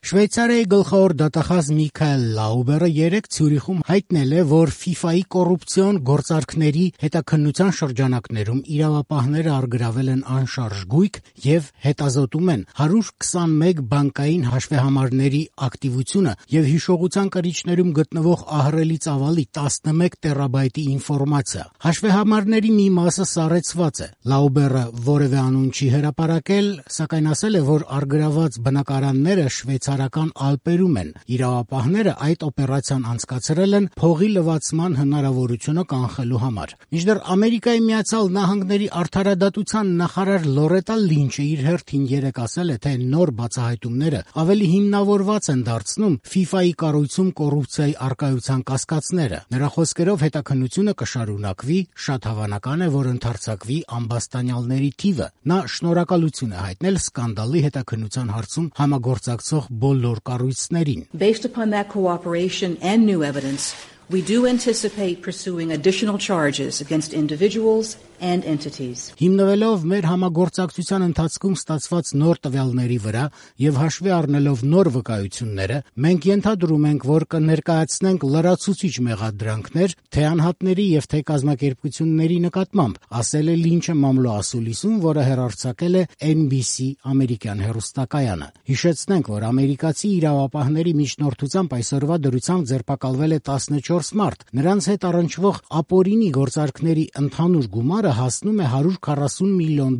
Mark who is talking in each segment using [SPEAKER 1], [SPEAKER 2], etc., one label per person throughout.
[SPEAKER 1] Շվեյցարիայի գլխավոր դատախազ Միքայել Լաուբերը երեկ Ցյուրիխում հայտնել է, որ FIFA-ի կոռուպցիոն գործարքների հետաքննության շրջանակներում իրավապահները առգրավել են անշարժ գույք եւ հետազոտում են 121 բանկային հաշվեհամարների ակտիվությունը եւ հիշողության կրիչներում գտնվող ահռելի ծավալի 11 տերաբայտի ինֆորմացիա։ Հաշվեհամարների մի մասը սառեցված է։ Լաուբերը որևէ անուն չի հրապարակել, սակայն ասել է, որ առգրաված բնակարանները շվեյցարական Ալպերում են։ Իրավապահները այդ օպերացիան անցկացրել են փողի լվացման հնարավորությունը կանխելու համար։ Մինչդեռ Ամերիկայի Միացյալ Նահանգների արդարադատության նախարար Լորետա Լինչը իր հերթին երեկ ասել է, թե նոր բացահայտումները ավելի հիմնավորված են դարձնում FIFA-ի կառույցում կոռուպցիայի առկայության կասկածները։ Նրա խոսքերով հետաքննությունը կշարունակվի, շատ հավանական է, որ ընդարձակվի ամբաստանյալների թիվը։ Նա շնորհակալություն է հայտնել սկանդալի հետաքննության հարցում համագործակցող բոլոր կառույցներին։
[SPEAKER 2] Based upon that cooperation and new evidence, we do anticipate pursuing additional charges against individuals and entities.
[SPEAKER 1] Հիմնվելով մեր համագործակցության ընթացքում ստացված նոր տվյալների վրա եւ հաշվի առնելով նոր վկայությունները, մենք ենթադրում ենք, որ կներկայացնենք լրացուցիչ մեղադրանքներ թե անհատների եւ թե կազմակերպությունների նկատմամբ, ասել է Լինչը մամլոասուլիսում, որը հեռարձակել է NBC ամերիկյան հեռուստակայանը։ Հիշեցնենք, որ ամերիկացի իրավապահների միջնորդությամբ այսօրվա դրությամբ ձերբակալվել է 14 մարդ։ Նրանց հետ առնչվող ապօրինի գործարքների ընդհանուր գումարը հասնում է $140 միլիոն։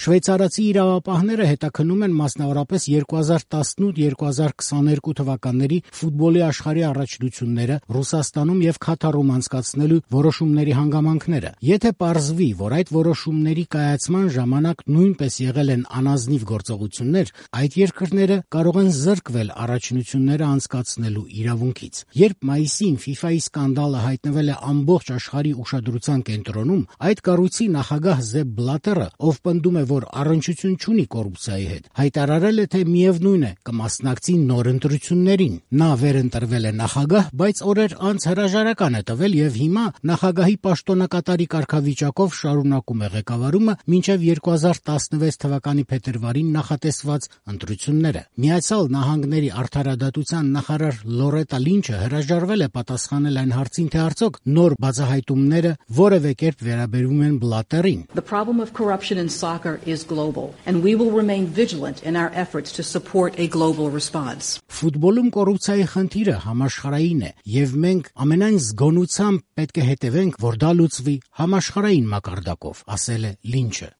[SPEAKER 1] Շվեյցարացի իրավապահները հետաքննում են մասնավորապես 2018-2022 թվականների ֆուտբոլի աշխարհի առաջնությունները Ռուսաստանում եւ Քաթարում անցկացնելու որոշումների հանգամանքները։ Եթե պարզվի, որ այդ որոշումների կայացման ժամանակ նույնպես եղել են անազնիվ գործողություններ, այդ երկրները կարող են զրկվել առաջնությունները անցկացնելու իրավունքից։ Երբ մայիսին FIFA-ի սկանդալը հայտնվել է ամբողջ աշխարհի ուշադրության կենտրոնում, այդ կառույցի նախագահ Զեփ Բլատերը, ով պնդում է, որ առնչություն չունի կոռուպցիայի հետ, հայտարարել է, թե միևնույն է կմասնակցի նոր ընտրություններին։ Նա վերընտրվել է նախագահ, բայց օրեր անց հրաժարական է տվել եւ հիմա նախագահի պաշտոնակատարի կարգավիճակով շարունակում է ղեկավարումը մինչեւ 2016 թվականի փետրվարին նախատեսված ընտրությունները։ Միացյալ Նահանգների արդարադատության նախարար Լորետա Լինչը հրաժարվել է պատասխանել այն հարցին, թե արդյոք նոր բացահայտումները որևէ կերպ վերաբերում են Բլատերին։
[SPEAKER 2] The problem of corruption in soccer is global, and we will remain vigilant in our efforts to support a global response.
[SPEAKER 1] Ֆուտբոլում կոռուպցիայի խնդիրը համաշխարհային է, եւ մենք ամենայն զգոնությամբ պետք է հետևենք, որ դա լուծվի համաշխարհային մակարդակով, ասել է Լինչը։